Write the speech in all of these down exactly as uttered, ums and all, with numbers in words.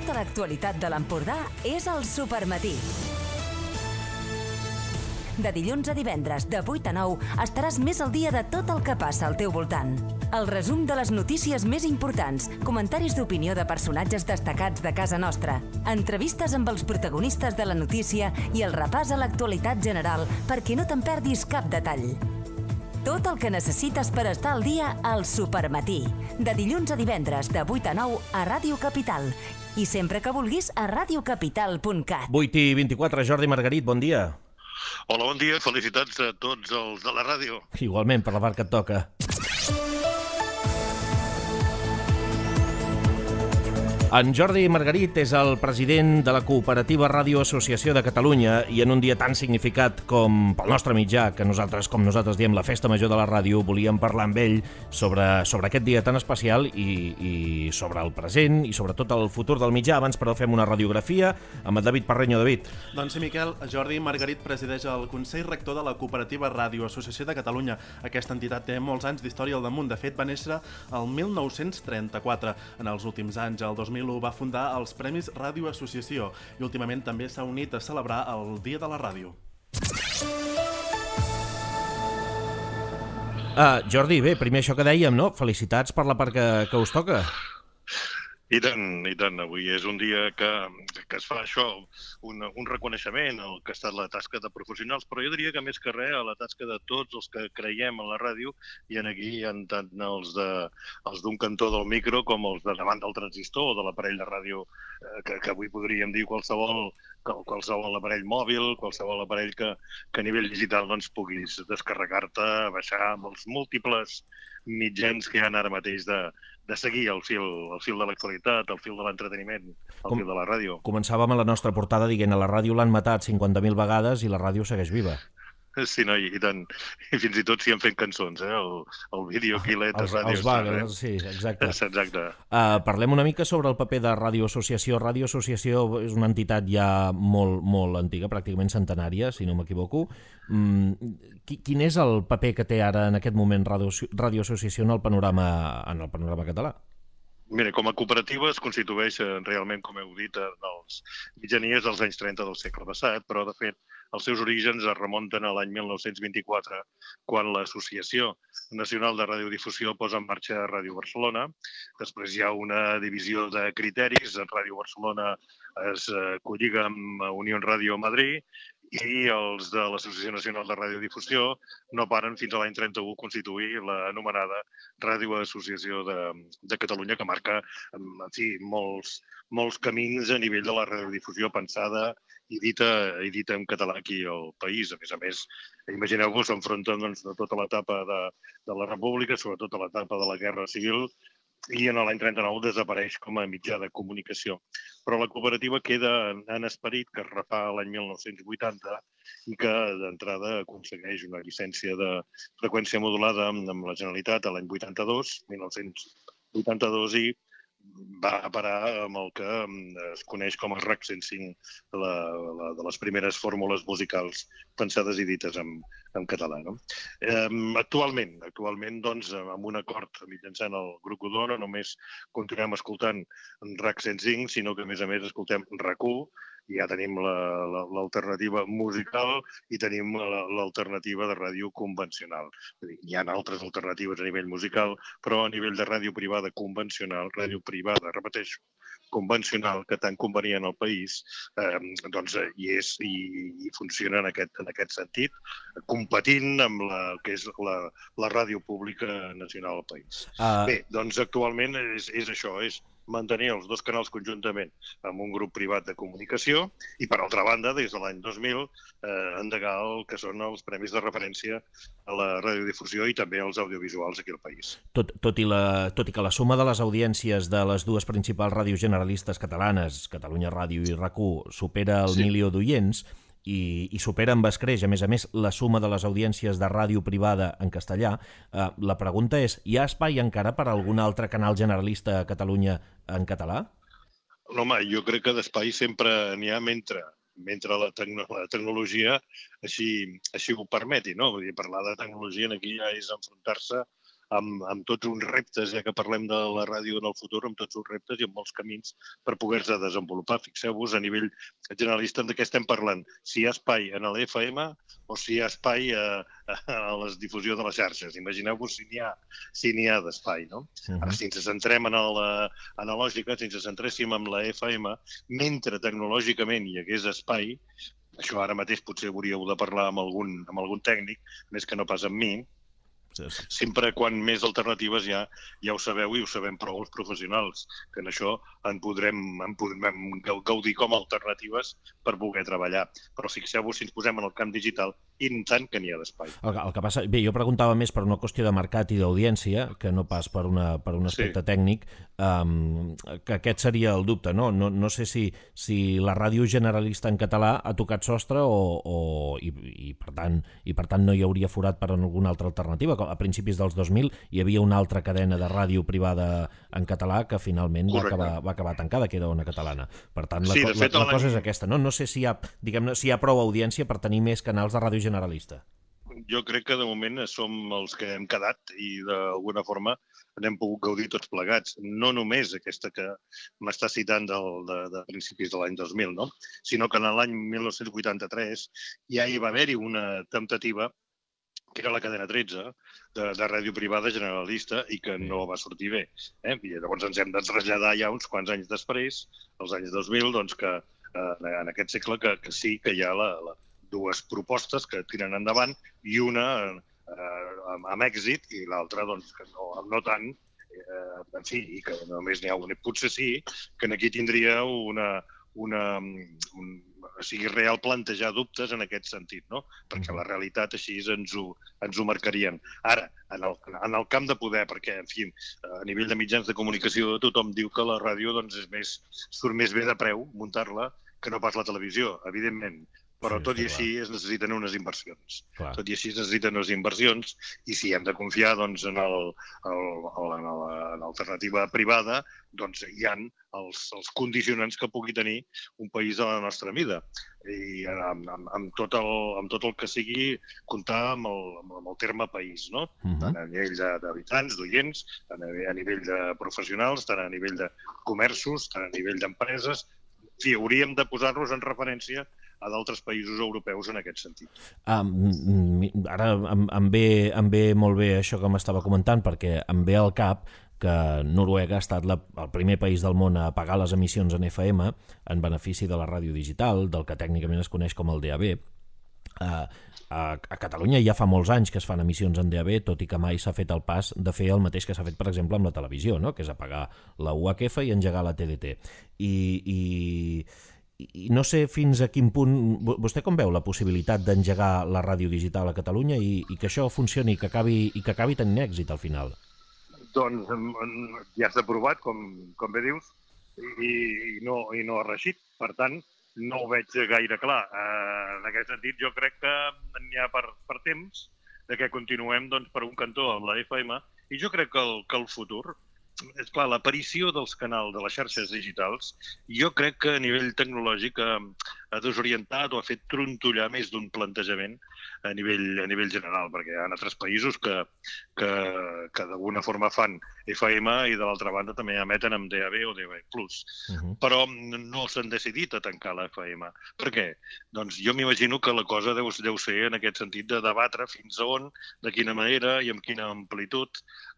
Tota l'actualitat de l'Empordà és al Supermatí. De dilluns a divendres, de vuit a nou, estaràs més al dia de tot el que passa al teu voltant. El resum de les notícies més importants, comentaris d'opinió de personatges destacats de casa nostra, entrevistes amb els protagonistes de la notícia i el repàs a l'actualitat general perquè no te'n perdis cap detall. Tot el que necessites per estar al dia al Supermatí. De dilluns a divendres, de vuit a nou, a Ràdio Capital. I sempre que vulguis, a radiocapital punt cat. vuit i vint-i-quatre, Jordi Margarit, bon dia. Hola, bon dia. Felicitats a tots els de la ràdio. Igualment, per la part que et toca. En Jordi Margarit és el president de la Cooperativa Ràdio Associació de Catalunya i en un dia tan significat com pel nostre mitjà, que nosaltres, com nosaltres diem, la Festa Major de la Ràdio, volíem parlar amb ell sobre, sobre aquest dia tan especial i, i sobre el present i sobretot el futur del mitjà. Abans, però, fem una radiografia amb el David Parreño. David. Doncs sí, Miquel, Jordi Margarit presideix el Consell Rector de la Cooperativa Ràdio Associació de Catalunya. Aquesta entitat té molts anys d'història al damunt. De fet, va néixer el mil nou-cents trenta-quatre. En els últims anys, el dos mil u, va fundar els Premis Ràdio Associació i últimament també s'ha unit a celebrar el Dia de la Ràdio. Uh, Jordi, bé, primer això que dèiem, no? Felicitats per la part que, que us toca. I tant, i tant. Avui és un dia que, que es fa això, un, un reconeixement al que ha estat la tasca de professionals, però jo diria que més que res a la tasca de tots els que creiem en la ràdio, i en aquí hi ha tant els de els d'un cantó del micro com els de davant del transistor o de l'aparell de ràdio, eh, que, que avui podríem dir qualsevol qualsevol aparell mòbil, qualsevol aparell que, que a nivell digital doncs, puguis descarregar-te, baixar amb els múltiples mitjans que hi ha ara mateix de, de seguir el fil, el fil de l'actualitat, el fil de l'entreteniment, el Com, fil de la ràdio. Començàvem a la nostra portada dient a la ràdio l'han matat cinquanta mil vegades i la ràdio segueix viva. Sí, no, i tant. I fins i tot s'hi han fet cançons, eh? El, el vídeo Quilet de Ràdio. Els Bagels, sí, exacte. Exacte. Uh, parlem una mica sobre el paper de Ràdio Associació. Ràdio Associació és una entitat ja molt, molt antiga, pràcticament centenària, si no m'equivoco. Mm, quin és el paper que té ara en aquest moment Ràdio, Ràdio Associació en el panorama, en el panorama català? Mira, com a cooperativa es constitueix realment, com heu dit, en els mitjanies dels anys trenta del segle passat, però, de fet, els seus orígens es remunten a l'any mil nou-cents vint-i-quatre, quan l'Associació Nacional de Radiodifusió posa en marxa Ràdio Barcelona. Després hi ha una divisió de criteris. Ràdio Barcelona es colliga amb Unió Ràdio Madrid i els de l'Associació Nacional de Radiodifusió no paren fins a l'any trenta-u constituir l'anomenada Ràdio Associació de, de Catalunya, que marca en fi, molts, molts camins a nivell de la radiodifusió pensada i dita, i dita en català aquí al país. A més a més, imagineu-vos, s'enfronten doncs, a tota l'etapa de, de la República, sobretot a l'etapa de la Guerra Civil, i en l'any trenta-nou desapareix com a mitjà de comunicació. Però la cooperativa queda en esperit, que es refà l'any mil nou-cents vuitanta i que d'entrada aconsegueix una llicència de freqüència modulada amb la Generalitat a l'any vuitanta-dos, mil nou-cents vuitanta-dos, i va a parar amb el que es coneix com el R A C cent cinc, la, la, de les primeres fórmules musicals pensades i dites en, en català. No? Eh, actualment, actualment doncs, amb un acord mitjançant el Grup Godó, no només continuem escoltant R A C cent cinc, sinó que a més a més escoltem R A C u, i ja tenim l'alternativa musical i tenim l'alternativa de ràdio convencional. Hi ha altres alternatives a nivell musical, però a nivell de ràdio privada convencional, ràdio privada, repeteixo, convencional, que tan convenient al país, eh, doncs hi és i, i funciona en aquest, en aquest sentit, competint amb la que és la, la ràdio pública nacional al país. Uh... Bé, doncs actualment és, és això, és mantenir els dos canals conjuntament amb un grup privat de comunicació i, per altra banda, des de l'any dos mil, eh, endegar el que són els premis de referència a la radiodifusió i també als audiovisuals aquí al país. Tot, tot, i la, tot i que la suma de les audiències de les dues principals ràdios generalistes catalanes, Catalunya Ràdio i R A C u, supera el sí. milió d'oients, i, i supera amb escreix, a més a més, la suma de les audiències de ràdio privada en castellà, eh, la pregunta és, hi ha espai encara per a algun altre canal generalista a Catalunya en català? No, home, jo crec que d'espai sempre n'hi ha mentre, mentre la, tecno la tecnologia així, així ho permeti, no? Vull dir, parlar de tecnologia aquí ja és enfrontar-se amb, amb tots uns reptes, ja que parlem de la ràdio en el futur, amb tots uns reptes i amb molts camins per poder-se desenvolupar. Fixeu-vos, a nivell generalista, de què estem parlant? Si hi ha espai en l'F M o si hi ha espai a, a la difusió de les xarxes. Imagineu-vos si n'hi ha, si n'hi ha d'espai, no? Uh-huh. Ara, si ens centrem en la analògica, si ens centréssim en la F M, mentre tecnològicament hi hagués espai, això ara mateix potser hauríeu de parlar amb algun, amb algun tècnic, més que no pas amb mi, sí, sí. Sempre quan més alternatives hi ha, ja ho sabeu i ho sabem prou els professionals, que en això en podrem, en podrem gaudir com a alternatives per poder treballar. Però fixeu-vos si ens posem en el camp digital, i tant que n'hi ha d'espai. El, el que passa, bé, jo preguntava més per una qüestió de mercat i d'audiència, que no pas per, una, per un aspecte sí. tècnic, um, que aquest seria el dubte, no? No, no sé si, si la ràdio generalista en català ha tocat sostre o, o i, i, per tant, i per tant no hi hauria forat per alguna altra alternativa. A principis dels dos mil hi havia una altra cadena de ràdio privada en català que finalment va acabar, va acabar tancada, que era Ona Catalana. Per tant, la, sí, la, fet, la, la cosa és aquesta, no? No sé si hi ha, diguem-ne, si hi ha prou audiència per tenir més canals de ràdio generalista. Jo crec que de moment som els que hem quedat i d'alguna forma n'hem pogut gaudir tots plegats. No només aquesta que m'està citant del, de, de principis de l'any dos mil, no? Sinó que en l'any mil nou-cents vuitanta-tres ja hi va haver-hi una temptativa que era la cadena tretze, de, de ràdio privada generalista, i que no va sortir bé. Eh? I llavors ens hem de traslladar ja uns quants anys després, als anys dos mil, doncs que eh, en aquest segle que, que sí que hi ha la, la, dues propostes que tiren endavant i una eh, amb, amb èxit i l'altra doncs, que no, no tant, eh, en fi, i que només n'hi ha una. Potser sí que aquí tindria una, una, un, o sigui, real plantejar dubtes en aquest sentit, no? Perquè la realitat així ens ho, ens ho marcarien. Ara, en el, en el camp de poder, perquè, en fi, a nivell de mitjans de comunicació tothom diu que la ràdio doncs, és més, surt més bé de preu muntar-la que no pas la televisió, evidentment. Però tot i així es necessiten unes inversions. Clar. Tot i així es necessiten unes inversions i si hem de confiar doncs, en l'alternativa privada, doncs hi ha els, els condicionants que pugui tenir un país de la nostra mida. I amb, amb, amb, tot, el, amb tot el que sigui comptar amb el, amb el terme país, no? Uh-huh. Tant a nivell d'habitants, d'oients, a nivell de professionals, tant a nivell de comerços, tant a nivell d'empreses. Sí, hauríem de posar-nos en referència a d'altres països europeus en aquest sentit. Um, ara em, em, ve, em ve molt bé això que m'estava comentant, perquè em ve al cap que Noruega ha estat la, el primer país del món a pagar les emissions en F M en benefici de la ràdio digital, del que tècnicament es coneix com el D A B. Uh, a, a Catalunya ja fa molts anys que es fan emissions en D A B, tot i que mai s'ha fet el pas de fer el mateix que s'ha fet, per exemple, amb la televisió, no? Que és apagar la U H F i engegar la T D T. I... i I no sé fins a quin punt... Vostè com veu la possibilitat d'engegar la ràdio digital a Catalunya i, i que això funcioni i que acabi, i que acabi tenint èxit al final? Doncs ja està aprovat, com, com bé dius, i, i, no, i no ha reixit. Per tant, no ho veig gaire clar. Eh, en aquest sentit, jo crec que n'hi ha per, per temps de que continuem doncs, per un cantó amb la F M i jo crec que el, que el futur... És clar, l'aparició dels canals de les xarxes digitals, jo crec que a nivell tecnològic ha, ha desorientat o ha fet trontollar més d'un plantejament a nivell, a nivell general, perquè hi ha altres països que, que, que d'alguna forma fan F M i de l'altra banda també emeten amb D A B o D A B plus. Uh-huh. Però no s'han decidit a tancar la F M. Per què? Doncs jo m'imagino que la cosa deu, deu ser en aquest sentit de debatre fins a on, de quina manera i amb quina amplitud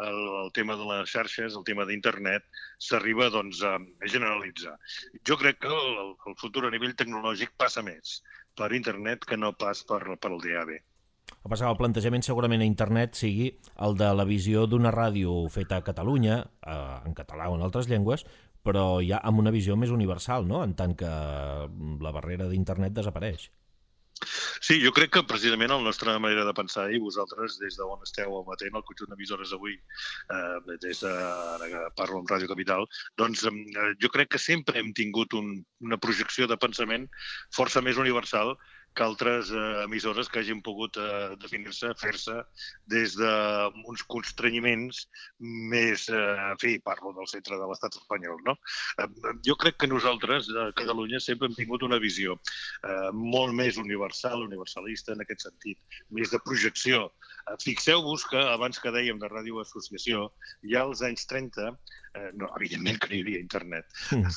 el, el tema de les xarxes, el tema d'internet, s'arriba doncs, a generalitzar. Jo crec que el, el futur a nivell tecnològic passa més per internet que no pas per, per el D A B. El que el plantejament segurament a internet sigui el de la visió d'una ràdio feta a Catalunya, eh, en català o en altres llengües, però ja amb una visió més universal, no? En tant que la barrera d'internet desapareix. Sí, jo crec que precisament la nostra manera de pensar, i vosaltres des d'on esteu emetent el conjunt d'emissores avui, eh, des de, ara que parlo amb Ràdio Capital, doncs eh, jo crec que sempre hem tingut un, una projecció de pensament força més universal que altres eh, emissores que hagin pogut eh, definir-se, fer-se des d'uns constrenyiments més, eh, en fi, parlo del centre de l'estat espanyol, no? Eh, jo crec que nosaltres, a Catalunya, sempre hem tingut una visió eh, molt més universal, universalista en aquest sentit, més de projecció. Eh, Fixeu-vos que, abans que dèiem de Ràdio Associació, ja als anys trenta, eh, no, evidentment que no hi havia internet. Mm.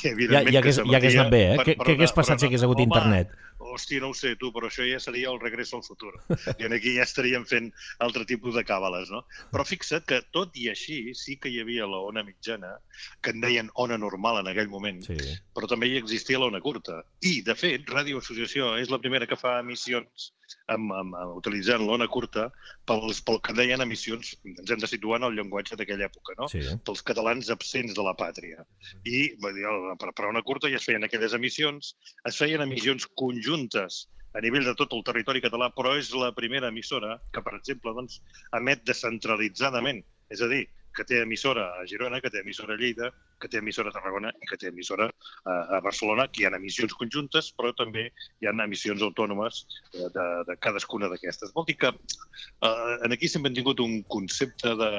ja, ja, hagués, ja hagués anat bé, eh? Què hagués passat si hagués hagut home, internet? Hòstia, no ho sé, tu, però això ja seria el regreso al futur. I aquí ja estaríem fent altre tipus de càbales, no? Però fixa't que, tot i així, sí que hi havia la ona mitjana, que en deien ona normal en aquell moment, sí. Però també hi existia l'ona curta. I, de fet, Ràdio Associació és la primera que fa emissions amb, amb, amb, utilitzant l'ona curta pels, pel que deien emissions, ens hem de situar en el llenguatge d'aquella època, no? Sí. Pels catalans absents de la pàtria. I dir, per, per ona curta ja es feien aquelles emissions, es feien emissions conjuntes a nivell de tot el territori català, però és la primera emissora que, per exemple, doncs, emet descentralitzadament, és a dir, que té emissora a Girona, que té emissora a Lleida, que té emissora a Tarragona i que té emissora a Barcelona, que hi ha emissions conjuntes, però també hi ha emissions autònomes de, de cadascuna d'aquestes. Vol dir que eh, aquí sempre hem tingut un concepte de,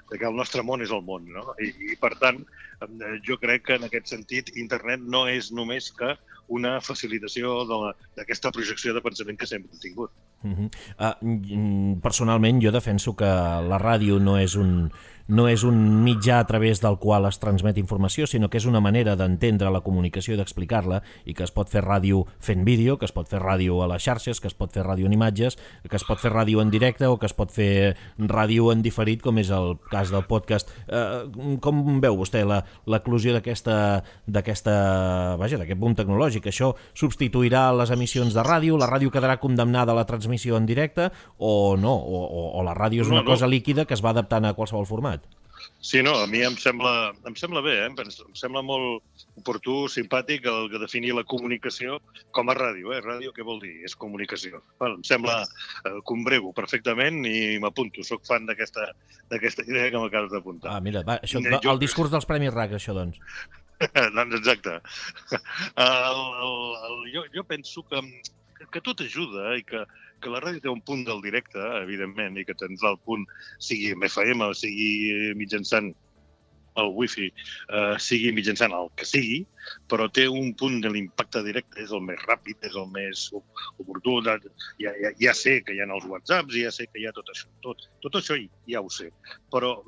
de que el nostre món és el món, no? I, i per tant, jo crec que en aquest sentit internet no és només que una facilitació d'aquesta projecció de pensament que sempre hem tingut. Uh-huh. uh, personalment, jo defenso que la ràdio no és un... no és un mitjà a través del qual es transmet informació, sinó que és una manera d'entendre la comunicació i d'explicar-la, i que es pot fer ràdio fent vídeo, que es pot fer ràdio a les xarxes, que es pot fer ràdio en imatges, que es pot fer ràdio en directe o que es pot fer ràdio en diferit, com és el cas del podcast. Eh, com veu vostè l'eclusió d'aquesta, d'aquesta, vaja, d'aquest boom tecnològic? Això substituirà les emissions de ràdio? La ràdio quedarà condemnada a la transmissió en directe o no? O, o, o la ràdio és una no, no. cosa líquida que es va adaptant a qualsevol format? Sí, no, a mi em sembla, em sembla bé, eh? Em sembla molt oportú, simpàtic, el que definir la comunicació com a ràdio. Eh? Ràdio què vol dir? És comunicació. Bueno, em sembla eh, combrego perfectament i m'apunto. Soc fan d'aquesta idea que m'acabes d'apuntar. Ah, mira, va, això, el jo... discurs dels Premis R A C, això, doncs. doncs exacte. El, el, el, jo, jo penso que, que tot ajuda i que que la ràdio té un punt del directe, evidentment, i que tindrà el punt, sigui amb F M, sigui mitjançant el wifi, eh, sigui mitjançant el que sigui, però té un punt de l'impacte directe, és el més ràpid, és el més oportú. Ja, ja, ja sé que hi ha els whatsapps, ja sé que hi ha tot això. Tot, tot això ja ho sé. Però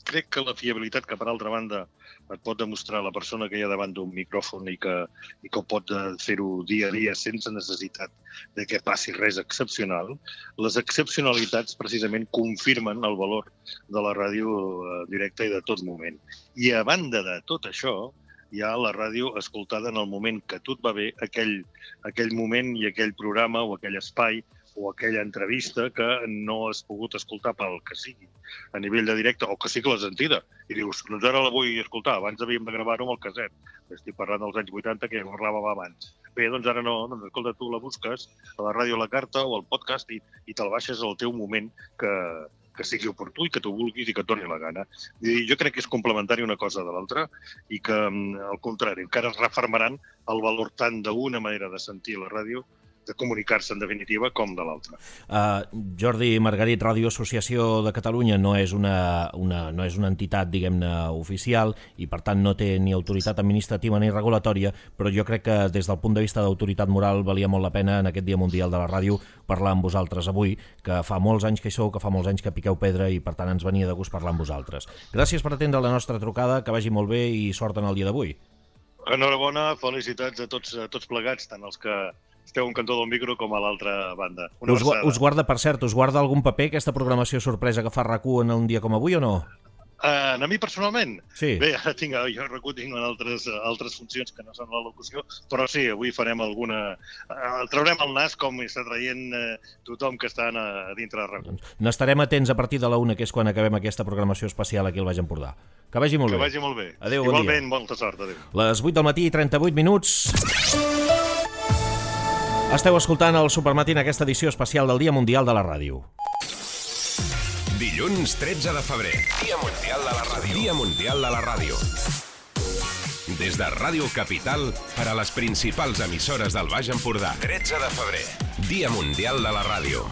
crec que la fiabilitat que, per altra banda, et pot demostrar la persona que hi ha davant d'un micròfon i que, i que pot fer-ho dia a dia sense necessitat de que passi res excepcional, les excepcionalitats precisament confirmen el valor de la ràdio directa i de tot moment. I a banda de tot això, hi ha la ràdio escoltada en el moment que tot va bé, aquell, aquell moment i aquell programa o aquell espai o aquella entrevista que no has pogut escoltar pel que sigui a nivell de directe, o que sí que l'has sentida. I dius, doncs ara la vull escoltar, abans havíem de gravar-ho amb el casset. Estic parlant dels anys vuitanta, que ja parlàvem abans. Bé, doncs ara no, doncs escolta, tu la busques a la ràdio a la carta o al podcast i, i te'l baixes al teu moment que, que sigui oportú i que tu vulguis i que et doni la gana. I jo crec que és complementari una cosa de l'altra i que, al contrari, encara es refermaran el valor tant d'una manera de sentir la ràdio, de comunicar-se en definitiva, com de l'altra. Uh, Jordi Margarit, Ràdio Associació de Catalunya no és una, una, no és una entitat, diguem-ne, oficial i per tant no té ni autoritat administrativa ni regulatòria, però jo crec que des del punt de vista d'autoritat moral valia molt la pena en aquest Dia Mundial de la Ràdio parlar amb vosaltres avui, que fa molts anys que hi sou, que fa molts anys que piqueu pedra i per tant ens venia de gust parlar amb vosaltres. Gràcies per atendre la nostra trucada, que vagi molt bé i sort en el dia d'avui. Enhorabona, felicitats a tots, a tots plegats, tant els que esteu un cantó del micro com a l'altra banda. Una us, us guarda, per cert, us guarda algun paper aquesta programació sorpresa que fa R A C u en un dia com avui o no? Uh, a mi personalment? Sí. Bé, ara tinc, jo R A C u tinc altres, altres funcions que no són la locució, però sí, avui farem alguna... Uh, traurem el nas com està traient uh, tothom que està a dintre de R A C u. Doncs n'estarem atents a partir de la una, que és quan acabem aquesta programació especial aquí al Baix Empordà. Que vagi molt que bé. Que vagi molt bé. Adéu, bon dia. Igualment, molta sort. Adéu. Les vuit del matí i trenta-vuit minuts. Esteu escoltant el Supermatí en aquesta edició especial del Dia Mundial de la Ràdio. Dilluns tretze de febrer. Dia Mundial de la Ràdio. Dia Mundial de la Ràdio. Des de Ràdio Capital per a les principals emissores del Baix Empordà. tretze de febrer, Dia Mundial de la Ràdio.